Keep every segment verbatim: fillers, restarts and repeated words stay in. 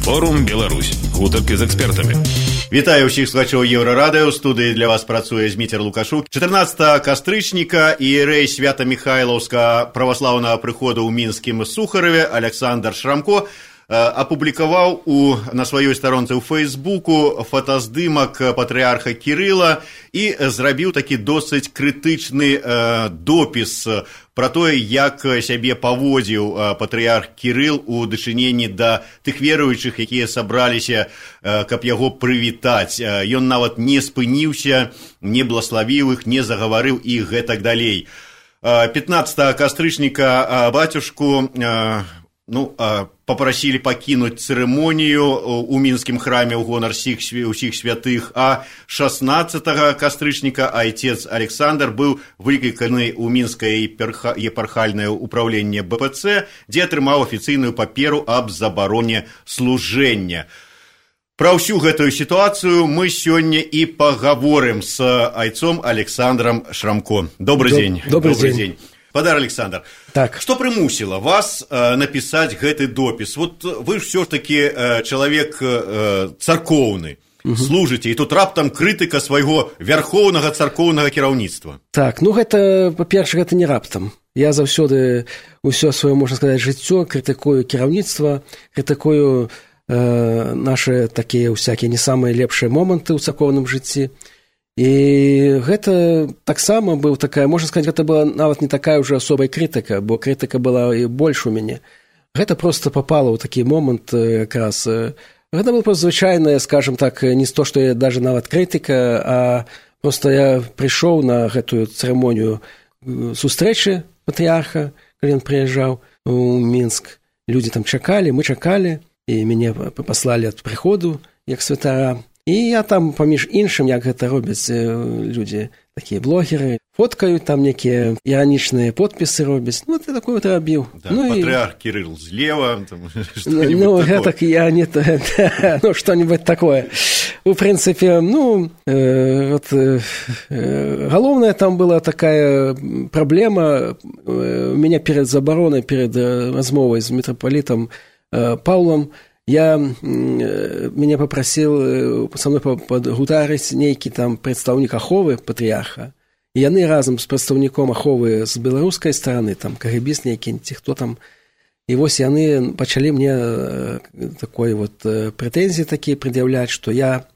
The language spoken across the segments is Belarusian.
Форум Беларусь. Гутарки з экспертамі. Вітаю ўсіх слухачоў Еўрарадыё. У студыі для вас працуе Зміцер Лукашук. чатырнаццатага кастрычніка іерэй Свята-Міхайлаўскага праваслаўнага прыходу ў мінскім Сухараве Александр Шрамко апублікаваў у, на сваёй старонцы ў Фейсбуку фотаздымак патрыарха Кірыла і зрабіў такі досыць крытычны э, допіс пра тое, як сябе паводзіў патрыарх Кірыл у дачыненні да тых веруючых, якія сабраліся, э, каб яго прывітаць. Ён нават не спыніўся, не блаславіў іх, не загаварыў і гэтак далей. пятнаццатага кастрычніка бацюшку э, ну, попросили покинуть церемонию у мінскім храме ў гонар усіх святых, а шаснаццатага кастрычніка отец Александр быў выкліканы ў мінскае епархальнае управленне бэ пэ цэ, дзе атрымаў афіцыйную паперу аб забароне служэння. Пра ўсю гэтую сітуацыю мы сёння і пагаворым з айцом Александром Шрамко. Добрый Доб, день. Добрый, добрый день. день. Падар Александр, так. Что прымусіла вас э, напісаць гэты допіс? Вот вы ж все ж таки э, чалавек э, царкоўны, угу. Служыце, і тут раптам крытыка свайго вярхоўнага царкоўнага кіраўніцтва. Так, ну гэта, па-перше, гэта не раптам. Я заўсёды ўсё сваё, можна сказаць, жыццё крытыкую кіраўніцтва, крытыкую э, нашы такія ўсякія не самыя лепшыя моманты ў царкоўным жыцці. І гэта таксама быў такая, можна сказаць, гэта была нават не такая ўжо асобай крытыка, бо крытыка была і больш у мяне. Гэта проста попала ў такі момант якраз. Гэта было проста звычайная, скажем так, не то, што я даже нават крытыка, а проста я прыйшоў на гэтую цырымонію сустрэчы патрыарха, калі ён прыязджаў у Мінск. Людзі там чакалі, мы чакалі, і мяне паслалі ад прыходу як святара. І я там, паміж іншым, як гэта робяць людзі, такія блогеры, фоткаюць, там некія іранічныя подпісы робяць. Ну, ты такое вот рабіў. Да, ну, патрыарх і... Кірыл злева, там, что-нибудь ну, такое. Ну, так я не... ну, что-нибудь такое. У прынцыпе, ну, э, вот, э, галоўная там была такая праблема. У меня перед забаронай, перед размовай з мітрапалітам э, Паўлам, я, мяне папрасіў са мной падгутарыць нейкі там прадстаўнік аховы патрыарха, і яны разам з прадстаўніком аховы з беларускай стараны, там кагебіст нейкі, ці хто там, і вось яны пачалі мне такой вот прэтэнзіі такія прад'яўляць, што я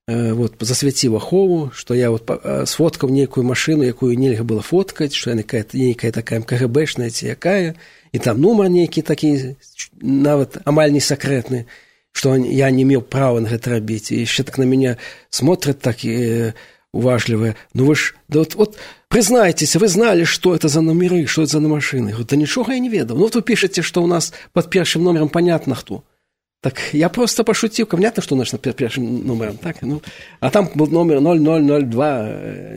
вот засвяціў ахову, што я вот сфоткаў нейкую машыну, якую нельга было фоткаць, што яна нейкая такая кагэбэшная ці якая, і там нумар нейкі такі, нават амаль не сакрэтны, што я не меў права на гэта рабіць. І яшчэ так на мяне смотрят так э, уважлівыя. Ну вы ж, да вот, вот прызнайцеся, вы знали, што это за номеры, што это за машыны. Говорю, да нічога я не ведаў. Ну вот вы пішаце, што у нас под першым номером понятно хто. Так я просто пошутил, понятно, что у нас под першым номером, так? Ну, а там был номер ноль ноль ноль два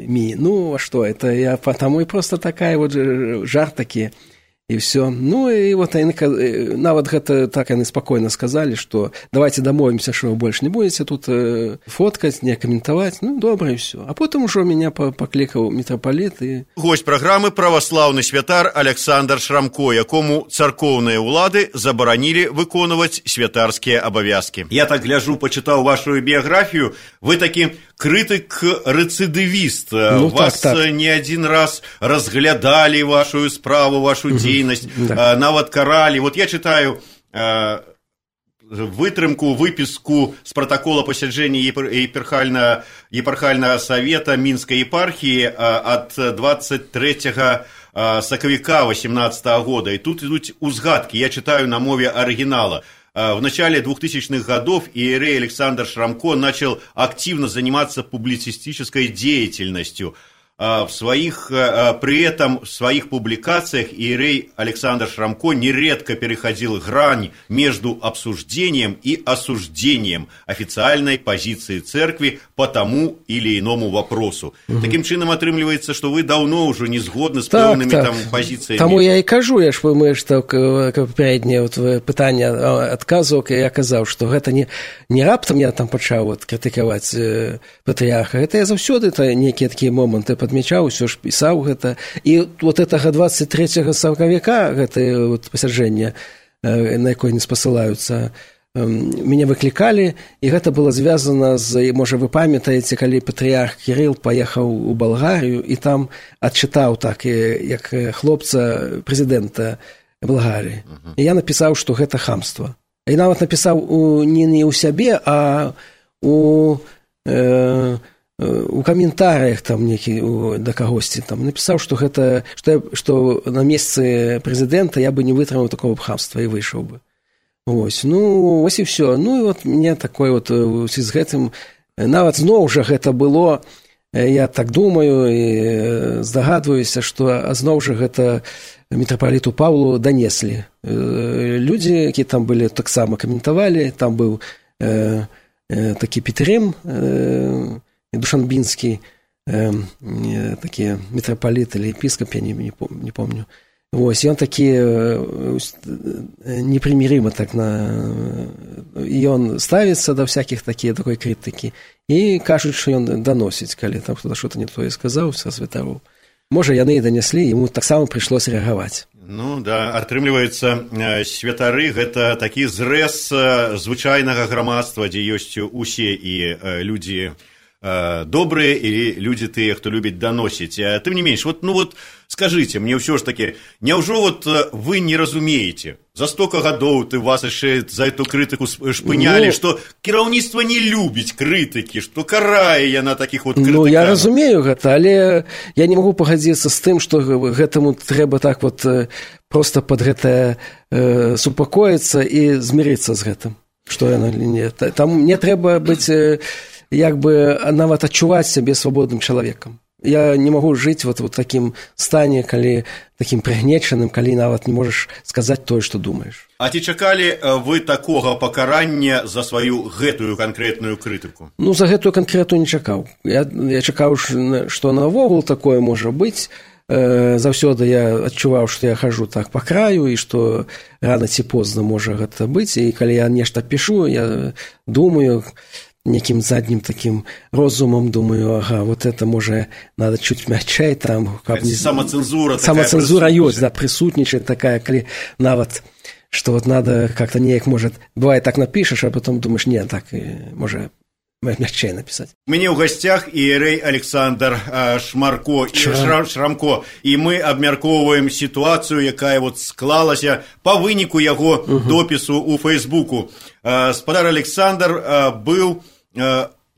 ми. Ну, а что, это я потому и просто такая вот жарт такие. И все. Ну, и вот они, нават гэта так они спокойно сказали, что давайте домовимся, что вы больше не будете тут фоткать, не комментовать. Ну, добре, и все. А потом уже меня покликал митрополит. И... Гость программы православный святар Александр Шрамко, якому царкоўныя улады забаранили выконывать святарские обовязки. Я так гляжу, почитал вашу биографию. Вы таки крытык-рецидивист. Ну, вас так, так. не один раз разглядали вашу справу, вашу деятельность. Да. Нават каралі. Вот я читаю э, вытрымку, выписку с протокола посяджэння епархальнага, епархальнага совета Мінскай епархии э, от двадцать третьего э, сакавіка восемнадцатого года. И тут идут узгадки. Я читаю на мове оригинала. В начале двухтысячных годов иерей Александр Шрамко начал активно заниматься публицистической деятельностью. В своих, при этом в своих публикациях иерей Александр Шрамко нередко переходил грань между обсуждением и осуждением официальной позиции церкви по тому или иному вопросу. Угу. Таким чином атрымліваецца, что вы давно уже не згодны с так, пэўнымі так. там позициями. Тому я и кажу, я ж мы что попереднее вот пытание отказывал, я казал, что это не не раптом я там пачаў вот критиковать патріарха. Это я заўсёды это некие такие моменты подмечаў, усё ж пісаў гэта. І вот гэтага двадцать третьего сакавіка, гэта вот пасяджэнне, на якое не спасылаюцца мяне выклікалі, і гэта было звязана з, можа, вы памятаеце, калі патрыярх Кірыл паехаў у Балгарыю і там адчытаў так, як хлопца прэзідэнта Балгарыі. Uh-huh. І я напісаў, што гэта хамства. І нават напісаў у, не, не ў сябе, а у, э, у каментарыях там некі, у, да кагосьці там напісаў, што гэта, што, я, што на месцы прэзідэнта я бы не вытрымаў такого б хамства і выйшаў бы. Ось, ну, ось і все. Ну, і от мне такое вот з гэтым, нават зноў жа гэта было, я так думаю і здагадваюся, што зноў жа гэта мітрапаліту Паўлу данеслі. Людзі, які там былі, таксама каментавалі, там быў э, э, такі Петрым э, Душанбінскі, э, такі мітрапаліт или епіскап, я не, не, не помню. Вось, ён такі непримиримо так на... І ён ставіцца да всяких такія такой крытыкі. І кажуць, што ён даносіць, калі там хто-то што-то не тое сказаў са святароў. Можа, яны і данеслі, яму таксама прыйшлося рэагаваць. Ну, да, атрымліваецца, святары – гэта такі зрэз звычайнага грамадства, дзе ёсць усе і людзі добрыя і людзі тыя, хто любіць даносіць. Тым не менш, вот, ну вот скажыце мне ўсё ж такі, няўжо вот вы не разумееце, за столько гадоў ты вас яшчэ за эту крытыку шпынялі, ну, што кіраўніцтва не любіць крытыкі, што карае яна такіх вот крытыкаў? Ну, я разумею гэта, але я не магу пагадзіцца з тым, што гэтаму трэба так вот проста пад гэта э, супакоіцца і змірыцца з гэтым, што яна не. Там не трэба быць як бы нават адчуваць сябе свабодным чалавекам. Я не магу жыць вот, вот такім стане, калі такім прыгнечаным, калі нават не можаш сказаць тое, што думаеш. А ці чакалі вы такога пакарання за сваю гэтую канкрэтную крытыку? Ну, за гэтую канкрэтную не чакаў. Я, я чакаў, што навогул такое можа быць. Э, заўсёды я адчуваў, што я хожу так па краю і што рана ці позна можа гэта быць. І калі я нешта пішу, я думаю... неким задним таким розумом, думаю, ага, вот это, может, надо чуть мягче там. Как не... Самоцензура такая. Самоцензура есть, да, присутничает такая, коли нават, что вот надо как-то неяк, может, бывает так напишешь, а потом думаешь, нет, так, может, мягче написать. У меня в гостях иерей Александр Шмарко и Шрам, Шрамко, и мы обмярковываем ситуацию, якая вот склалася по вынику его угу. допису у Фейсбуку. Спадар Александр был...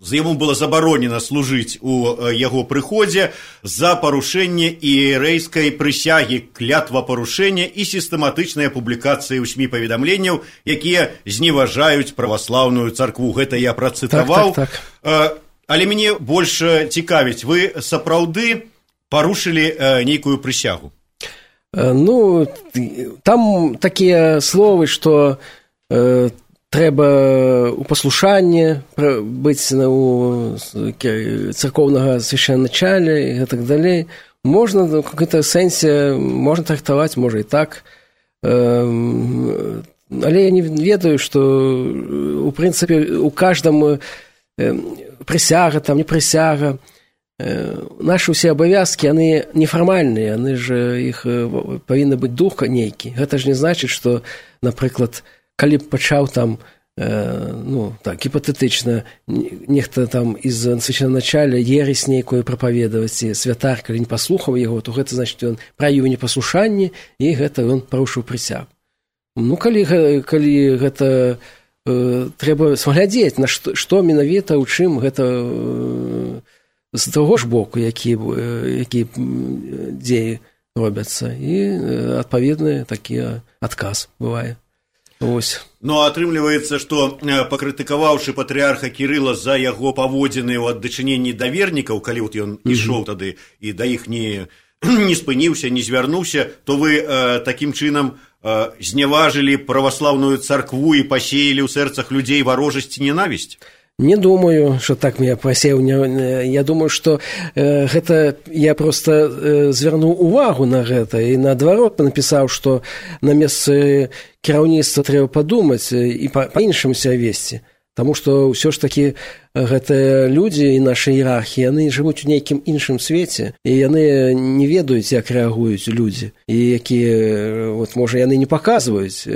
За яму было забаронена служыць у яго прыходзе за парушэнне іерэйскай прысягі, клятвапарушэння і сістэматычныя публікацыі ў СМІ паведамленняў, якія зневажаюць праваслаўную царкву. Гэта я працытаваў. Так, так, так. Але мяне больш цікавіць, вы сапраўды парушылі нейкую прысягу? Ну, там такія словы, што... трэба у паслушанні быць у царкоўнага свяшчэнначаля і гэтак далей. Можна в какой-то сэнсе, можна трактаваць, можа і так. Але я не ведаю, што у прынцыпе у каждаму прысяга, там не прысяга. Нашы ўсе абавязкі, яны нефармальныя, яны ж іх павінны быць дух нейкі. Гэта ж не значыць, што, напрыклад, калі б пачаў там, э, ну, так, гіпатэтычна, нехта там из священначаля ересь нейкую прапаведаваць, і святар, калі не паслухаў яго, то гэта значыць, ён праявіў непаслушанне, і гэта ён парушыў прысягу. Ну, калі, калі гэта э, трэба глядзець, на што, што менавіта, у чым гэта э, з таго ж боку, які, э, які дзеі робяцца, і э, адпаведны такі адказ бывае. Ось. Ну, атрымліваецца, што пакрытыкаваўшы патрыарха Кірыла за яго паводзіны ў аддачыненні да вернікаў, калі вот ён ішоў тады і да іх не, не спыніўся, не звярнуўся, то вы э, такім чынам э, зняважылі праваслаўную царкву і пасеялі ў сэрцах людзей варожасць і ненавісць? Не думаю, что так я просеял. Я думаю, что э, гэта я просто э, звярнуў увагу на гэта і наадварот напісаў, што на месцы кіраўніцтва трэба падумаць і па-іншаму себя весці. Таму што ўсё ж такі гэтыя людзі і нашы іерархіі, яны жывуць у нейкім іншым свеце, і яны не ведаюць, як рэагуюць людзі, і якія, вот, можа, яны не паказваюць,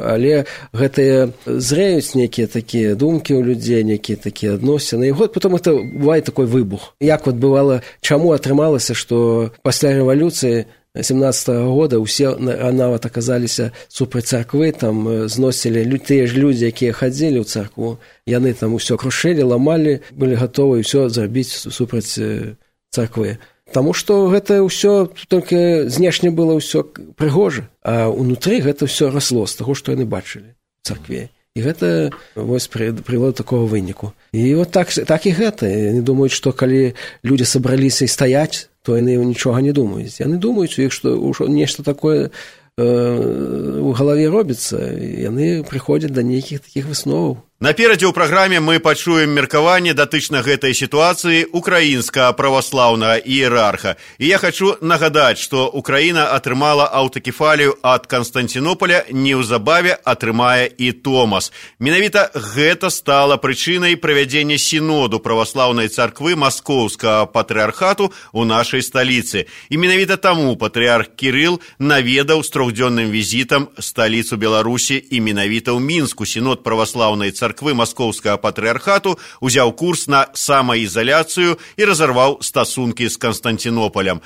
але гэтыя зрэюць нейкія такія думкі ў людзей, нейкія такія адносіны, і вот потом это бывае такой выбух. Як вот бывала, чаму атрымалася, што пасля рэвалюцыі семнадцатага года ўсе нават аказаліся супраць царквы, там зносілі тыя ж людзі, якія хадзілі ў царкву, яны там усё крушылі, ламалі, былі гатовы ўсё зрабіць супраць царквы. Таму што гэта ўсё толькі знешне было ўсё прыгожа, а ўнутры гэта ўсё расло з таго, што яны бачылі ў царкве. І гэта вось прывяло да такога выніку. І вот так, так і гэта. Яны думаюць, што калі людзі сабраліся і стаяць, то яны нічога не думаюць. Яны думаюць, у іх што нешта такое э, у галаве робіцца, і яны прыходзяць да нейкіх такіх высноваў. Наперадзе ў праграме мы пачуем меркаванне датычна гэтай сітуацыі украінскага праваслаўнага іерарха. І я хачу нагадаць, што Украіна атрымала аўтакефалію ад Канстанцінополя, неўзабаве атрымае і Томас. Менавіта гэта стала прычынай правядзення сіноду праваслаўнай царквы Маскоўскага патрыархату ў нашай сталіцы. І менавіта таму патрыарх Кірыл наведаў з трохдзённым візітам сталіцу Беларусі, і менавіта ў Мінску сінод праваслаўнай царквы царквы Маскоўскага патрыархату узяў курс на самаізаляцыю і разарваў стасункі з Канстанцінополем.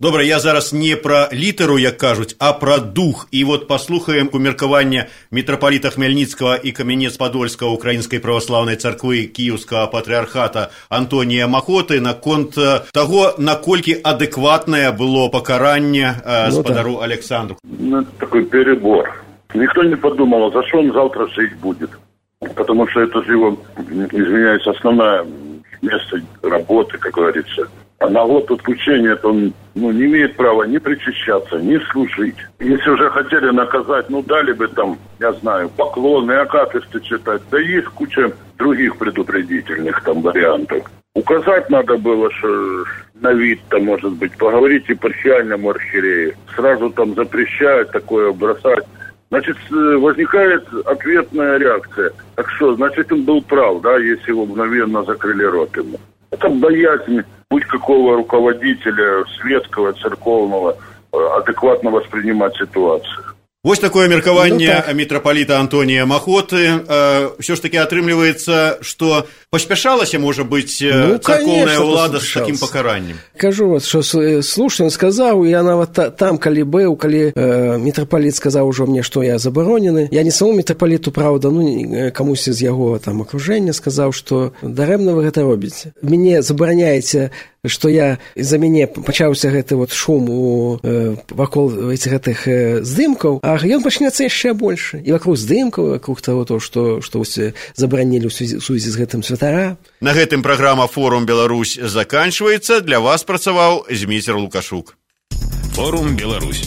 Добра, я зараз не пра літару, як кажуць, а пра дух. І вот паслухаем меркаванне мітрапаліта Хмельніцкага і Камянец-Падольскага Украінскай праваслаўнай царквы Кіеўскага патрыархата Антонія Махоты наконт таго, наколькі адэкватнае было пакаранне спадару ну, Александру. Ну, такой перебор. Никто не подумал, за что он завтра жить будет. Потому что это же его, извиняюсь, основное место работы, как говорится. А на год отключения он ну, не имеет права ни причащаться, ни служить. Если уже хотели наказать, ну дали бы там, я знаю, поклоны, акафисты читать. Да есть куча других предупредительных там вариантов. Указать надо было, что на вид там, может быть, поговорить епархиальному архиерею. Сразу там запрещают такое бросать. Значит, возникает ответная реакция. Так что, значит, он был прав, да, если его мгновенно закрыли рот ему. Это боязнь будь какого руководителя светского, церковного, адекватно воспринимать ситуацию. Вось такое меркаванне ну, так. мітрапаліта Антонія Махоты. Ўсё ж таки атрымліваецца, што паспяшалася, можа быць, ну, царкоўная ўлада з такім пакараннем. Кажу, вот, што слушна сказаў, я нават там, калі быў, калі э, мітрапаліт сказаў ужо мне, што я забаронены, я не самому мітрапаліту, правда, ну, камусь з яго там акружэння сказаў, што дарэмна вы гэта робіце. Мяне забараняеце, што я за мяне пачаўся гэты вот шум у э, вакол гэтых э, здымкаў, а ён пачнецца яшчэ больш. І вакруг здымкаў, вакруг таго, то, што, што забаранілі ў сувязі з гэтым святара. На гэтым праграма «Форум Беларусь» заканчваецца. Для вас працаваў Зміцер Лукашук. «Форум Беларусь».